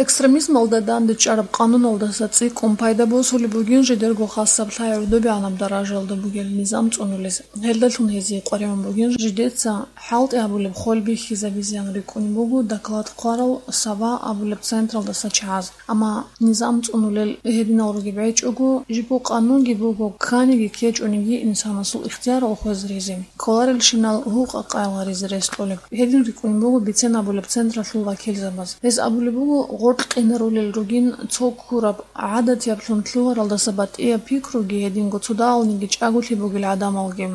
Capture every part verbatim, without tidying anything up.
Экстремизмалда данде чӀараб къануналдаса цӀикӀкӀун пайда босулеб бугин жидерго хасаб лъай гӀодобегӀанаб даражаялда бугел низам цӀунулез. Гьелдалъун гьезие къваригӀун бугин жидеца хӀалтӀи гьабулеб хвел бихьизабизеян рикӀкӀунеб буго доклад хъварал Сава абулеб централдаса чагӀаз. Амма низам цӀунулел гьединал ругеб гьечӀого, жибго къанунги буго, кканиги ккечӀониги инсанасул ихтиярал хвезаризе, кколарелщинал гьукъа къайгъаризе рес кьолеб. Гьедин рикӀкӀунеб буго бицен абулеб централъул вакилзабаз. Гьез абулеб буго, гъоркь къинарулел ругин цо ккураб, гӀадатияблъун лъугьаралдаса батӀияб пикруги гьединго цо дагьалниги чӀаголъи бугел гӀадамалги.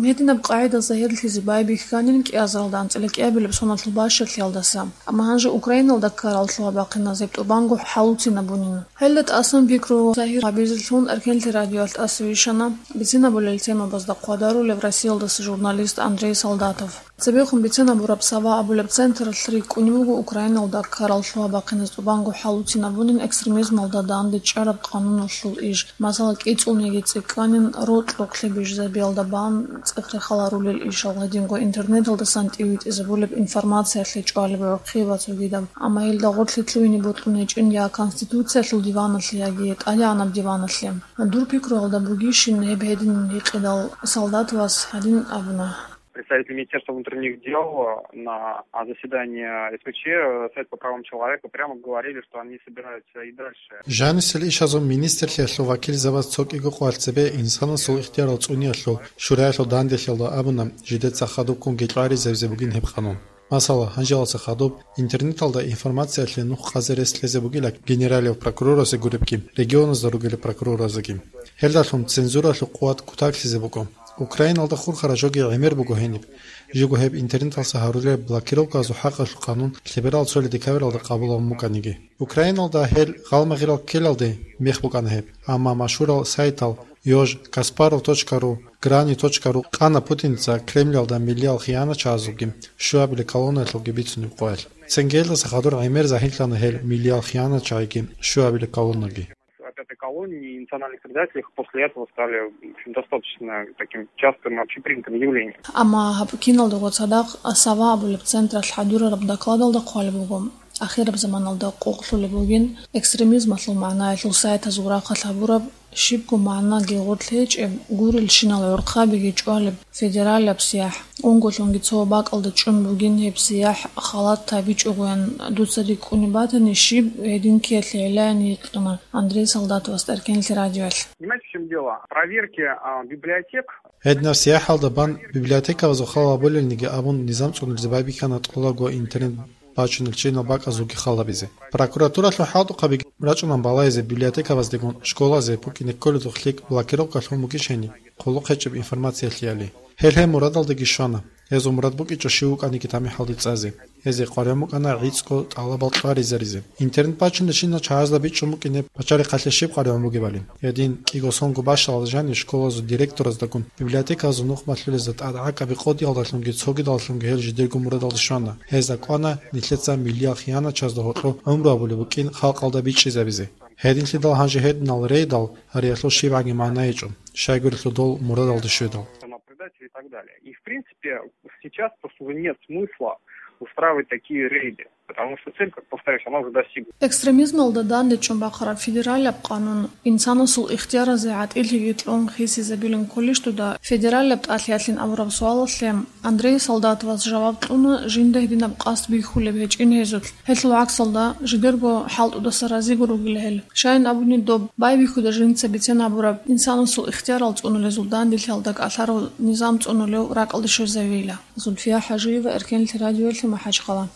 Гьединаб къагӀида загьирлъизе байбихьанин кӀиазаралда анцӀила кӀиабилеб соналъул бащалъиялдаса. Амма гьанже Украиналда ккарал лъугьа-бахъиназеб тӀубанго хӀалуцинабунин. Гьелда тӀасан пикру загьир гьабизелъун Эркенлъи радиоялъ тӀаса вищана бицинабулел темабазда хъвадарулев Россиялдаса журналист Андрей Солдатов. Цебехун бицинабураб Сава абулеб централъ рикӀкӀунеб буго Украиналда ккарал лъугьа-бахъиназ тӀубанго хӀалуцинабунин экстремизмалда данде чӀараб къануналъул иш, масала, кӀицӀулниги цӀикӀкӀанин рокь-рокълъи бижизабиялда бан цӀех-рехал гьарулел ишал, гьединго интернеталдасан тӀивитӀизабулеб информациялъе чӀвалеб гӀурхъи ва цогидаб. Амма гьелда гъорлъи лъугьине бокьун гьечӀин я Конституциялъул диваналъе, яги ТӀадегӀанаб диваналъе. Дур пикруялда бугищин гьеб гьедин гьикъидал, Солдатовас гьадин абуна. Представители Министерства внутренних дел на заседании СВЧ, Совет по правам человека, прямо говорили, что они собираются и дальше. Жанисел ишазул министрлъиялъул вакилзабаз цо кӀиго къвалъ цебе инсанасул ихтиярал цӀуниялъул шураялъул данделъиялда абуна, жидеца хадубккунги кьваризабизе бугин гьеб къанун. Масала, гьанжелалъа хадуб интернеталда информациялъе нух къазе рес лъезе бугила генералияв прокурорасе гуребги, регионазда ругелеб прокуроразеги. Гьелдалъун цензуралъул къуват кутаклъизе буго. Украиналда хурхараб жоги гӀемер буго гьениб. Жего гьеб интернеталъа гьарулел блокировказул хӀакъалъул къанун лъеберал цоли декабралда къабулабун букӀаниги. Украиналда гьел гъалмагъирал ккелалде мех букӀана гьеб, амма машгьурал сайтал Ёж, Каспаров точка ру, Грани точка ру къана Путинца Кремльалда миллиял хиянатчагӀазулги щуабилеб колоннаялъулги бицунеб къоялъ. Цинги гьелдаса хадур гӀемер загьирлъана гьел миллиял хиянатчагӀиги щуабилеб колоннаги. От этой колонии национальных предателей после этого стали, в общем, достаточно таким частым общепринятым явлением. Амма гьаб киналдаго цадахъ Сава абулеб централъ хӀадурараб докладалда хъвалеб буго, ахираб заманалда къокълъулеб бугин экстремизмалъул магӀнаялъул сайтазул рахъалъ гьабураб, щибго магӀнаги гъорлъ гьечӀеб, гурелщинал гӀурхъабиги чӀвалеб федералияб сияхӀ, унголъунги цо бакӀалда чӀун бугин гьеб сияхӀ, халат гьабичӀогоян дуца рикӀкӀунеб батани, щиб гьедин ккеялъе гӀелаян гьикъана Андрей Солдатовас Эркенлъи радиоялъ. Понимаете, в чём дело? Проверки, а, библиотек. Гьединаб сияхӀалда бан библиотекабазул хал гьабулелниги абун низам цӀунулезе байбихьана тӀолабго интернет бачунел чинал бакӀазулги хал гьабизе. Прокуратуралъул хӀалтӀухъабиги рачӀунан балагьизе библиотекабаздегун школазе букӀине кколедухъ лъикӀ блокировка лъун бугищ гьениб, хъулухъ гьечӀеб информациялъеяли. Гьел гьеб мурадалдаги щвана. Гьезул мурад букӀичӀо щив вукӀаниги тамихӀалде цӀазе. Гьезие къваригӀун букӀана гӀицӀго тӀалабал кьваризаризе. Интернет бачунелщинал чагӀазда бичӀчӀун букӀине пачалихъалъе щиб къваригӀун бугебали. Гьедин кӀиго сонго бащалда жанив школазул директораздагун библиотекалазул нух малъулезда тӀадгӀакӀаби къодиялдалъунги цогидаллъунги гьел жидерго мурадалде щвана. Гьезда кӀвана нилъеца миллиял хиянатчазда гьоркьо гӀумру гьабулеб букӀин халкъалда бичӀчӀизабизе. Гьединлъидал гьанже гьединал рейдал гьариялъул щибгӀаги магӀна гьечӀо, щайгурелъул дол мурадалде щведал. Предатель и так далее. И, в принципе, сейчас просто уже нет смысла устраивать такие рейды, потому что цель, как повторюсь, она уже достигнута. Экстремизмалда данде чӀун бахъараб федералияб къанун, инсанасул ихтияразе гӀатӀилъиги кьун хисизабилин кколищ дуда федералияб тӀалъиялъин абураб суалалъе Андрей Солдатовас жаваб кьуна, жинда гьединаб къасд бихьулеб гьечӀин гьезулъ. Гьелъул гӀаксалда, жидерго хӀалтӀудаса разиго ругила гьел. Щайин абуни, доб байбихьуда жинца бицен гьабураб инсанасул ихтиярал цӀунулезул данделъиялда кӀалъарав низам цӀунулев ракӀалде щвезавила. Зульфия ХӀажиева, Эркенлъи радиоялъе, МахӀачхъала.